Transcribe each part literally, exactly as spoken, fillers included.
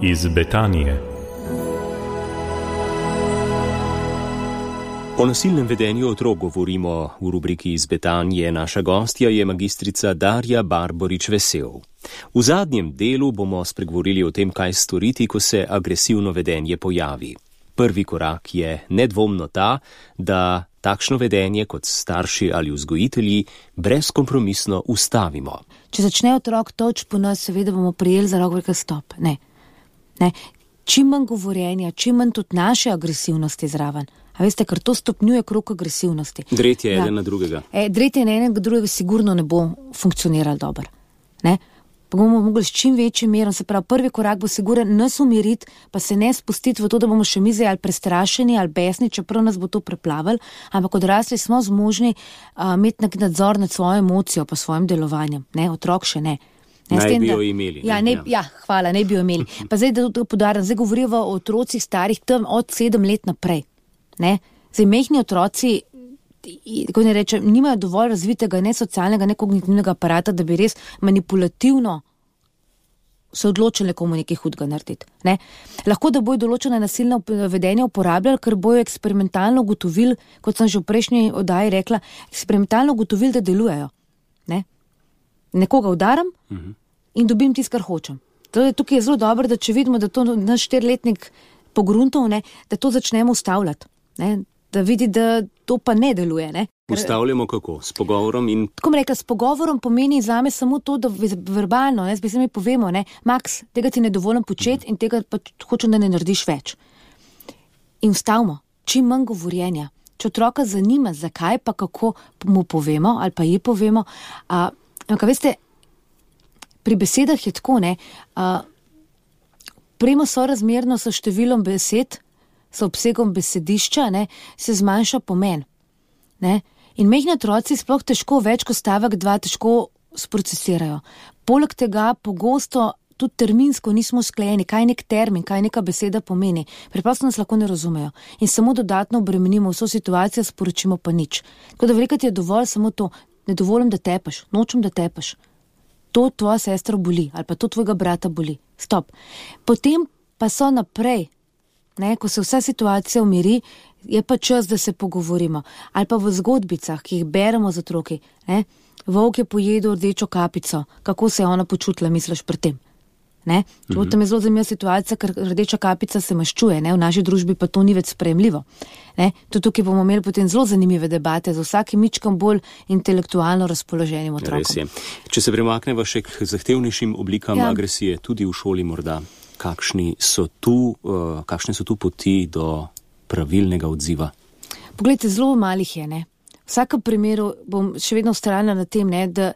iz Betanije. O nasilnem vedenju otrok govorimo v rubriki iz Betanije. Naša gostja je magistrica Darja Barborič-Vesel. V zadnjem delu bomo spregovorili o tem, kaj storiti, ko se agresivno vedenje pojavi. Prvi korak je nedvomno ta, da takšno vedenje kot starši ali vzgojitelji brezkompromisno ustavimo. Če začne otrok toč po nas, seveda bomo prijeli za roko, stop. Ne. Ne. Čim manj govorjenja, čim manj tudi naše agresivnosti zraven. A veste, ker to stopnjuje krog agresivnosti. Dretje ja. eden na drugega. E, dretje na enega drugega sigurno ne bo funkcioniralo dobro. Ne? Pa bomo mogli s čim večjim merom, se pravi, prvi korak bo siguren nas umiriti, pa se ne spustiti v to, da bomo še mi zdaj ali prestrašeni ali besni, čeprav nas bo to preplavili, ampak odrasli smo zmožni uh, imeti nek nadzor nad svojo emocijo pa svojim delovanjem. Ne? Otrok še ne. Ne, naj tem, bi jo da, imeli. Ja, ne, ja, hvala, ne bi jo imeli. Pa zdaj, da to podarim, zdaj govorijo o otrocih starih tam od sedem let naprej. Ne? Zdaj, mehni otroci, kako ne rečem, nimajo dovolj razvitega ne socialnega, ne kognitivnega aparata, da bi res manipulativno se odločili komu nekaj hudega narediti. Ne? Lahko, da bojo določene nasilne vedenja uporabljali, ker bojo eksperimentalno ugotovili, kot sem že v prejšnji oddaji rekla, eksperimentalno ugotovili, da delujejo. Ne? Nekoga udaram uh-huh. in dobim tisto, kar hočem. Torej, tukaj je zelo dobro, da če vidimo, da to naš štiriletnik pogruntov, ne, da to začnemo ustavljati. Ne? Da vidi, da to pa ne deluje. Ne? Ustavljamo kako? S pogovorom in... Tako mi rekla, s pogovorom pomeni zame samo to, da verbalno, ne, zdaj se mi povemo, ne, Max, tega ti ne dovolim početi uh-huh. in tega pa hočem, da ne narediš več. In ustavimo, čim manj govorjenja. Če otroka zanima, zakaj pa kako mu povemo ali pa ji povemo, a ampak, veste, pri besedah je tako, ne, uh, premo sorazmerno so številom besed, so obsegom besedišča, ne, se zmanjša pomen. Ne. In mehni otroci sploh težko več kot stavek dva težko sprocesirajo. Poleg tega pogosto tudi terminsko nismo sklejeni, kaj nek termin, kaj neka beseda pomeni. Preprosto nas lahko ne razumejo. In samo dodatno obremenimo vso situacijo, sporočimo pa nič. Tako da velikrat je dovolj samo to, ne dovolim, da tepaš, nočem, da tepaš. To tvoja sestra boli, ali pa to tvojega brata boli. Stop. Potem pa so naprej, ne, ko se vsa situacija umiri, je pa čas, da se pogovorimo. Ali pa v zgodbicah, ki jih beremo z otroki. Ne. Volk je pojedel rdečo kapico. Kako se je ona počutila, misliš pri tem? Ne? Mm-hmm. Tam je zelo zanimiva situacija, ker rdeča kapica se maščuje, ne? V naši družbi pa to ni več sprejemljivo. Ne? To tukaj bomo imeli potem zelo zanimive debate z vsakim mičkom bolj intelektualno razpoloženim otrokom. Res je. Če se premakneva še k zahtevnejšim oblikam ja. agresije, tudi v šoli morda, kakšni so tu, uh, kakšne so tu poti do pravilnega odziva? Poglejte, zelo malih je, ne. V vsakem primeru bom še vedno vztrajala na tem, ne, da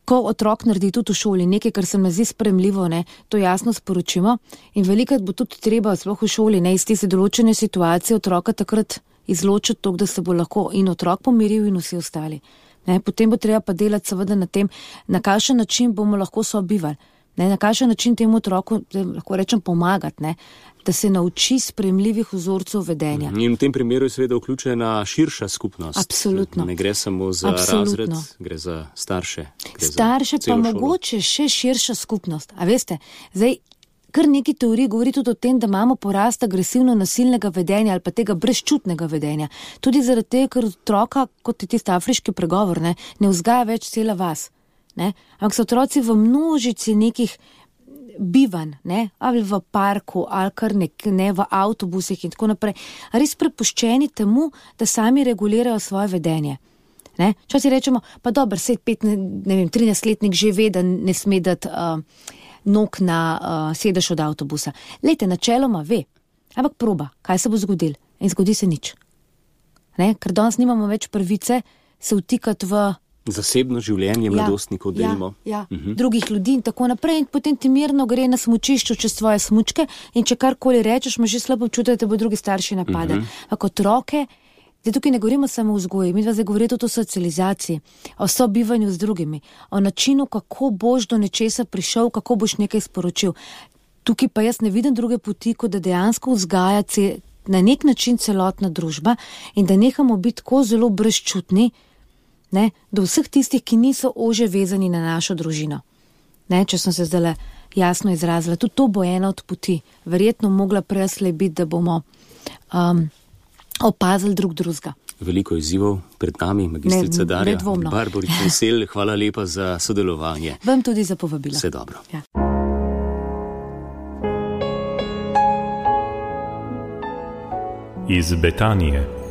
ko otrok naredi tudi v šoli nekaj, kar se mi zdi sprejemljivo, ne, to jasno sporočimo in velikrat bo tudi treba, sploh v šoli, ne, iz tiste določene situacije otroka takrat izločiti to, da se bo lahko in otrok pomiril in vsi ostali. Ne, potem bo treba pa delati seveda na tem, na kakšen način bomo lahko sobivali, ne, na kakšen način temu otroku, lahko rečem, pomagati, ne, da se nauči sprejemljivih vzorcev vedenja. In v tem primeru je seveda vključena širša skupnost. Absolutno. Ne gre samo za Absolutno. razred, gre za starše. Gre starše za pa šolo. mogoče še širša skupnost. A veste, zdaj kar neki teorij govori tudi o tem, da imamo porast agresivno nasilnega vedenja ali pa tega brezčutnega vedenja. Tudi zaradi tega, ker otroka, kot je tisti afriški pregovor, ne, ne vzgaja več cela vas. Ne? Ampak so otroci v množici nekih bivanj, ne, ali v parku, ali kar nek, ne, v avtobusih in tako naprej, res prepuščeni temu, da sami regulirajo svoje vedenje. Ne, včasih rečemo, pa dober, sej pet, ne, ne vem, trinajstletnik že ve, da ne sme dati uh, nog na uh, sedež od avtobusa. Lejte, načeloma ve, ampak proba, kaj se bo zgodil in zgodi se nič. Ne, ker danes nimamo več pravice se vtikati v zasebno življenje mladostnikov, ja, delimo. Ja, ja. Uh-huh. Drugih ljudi in tako naprej in potem ti mirno gre na smučišču čez svoje smučke in če karkoli rečeš, imaš že slabo občutek, da te bo drugi starši napadali. Uh-huh. Ampak otroke, zdaj tukaj ne govorimo samo o vzgoji, mi zdaj govorimo tudi o socializaciji, o sobivanju z drugimi, o načinu, kako boš do nečesa prišel, kako boš nekaj sporočil. Tukaj pa jaz ne vidim druge poti, kot da dejansko vzgaja ce, na nek način celotna družba in da nehamo biti tako zelo brezčutni, ne, do vseh tistih, ki niso ože vezani na našo družino. Ne, če sem se zdaj jasno izrazila. Tudi to bo ena od poti. Verjetno mogla preslej biti, da bomo um, opazili drug drugega. Veliko izzivov pred nami, magistrica Ne- Darja nedvomno. Barborič Vesel, hvala lepa za sodelovanje. Vam tudi za povabilo. Vse dobro. Ja. Iz Betanije.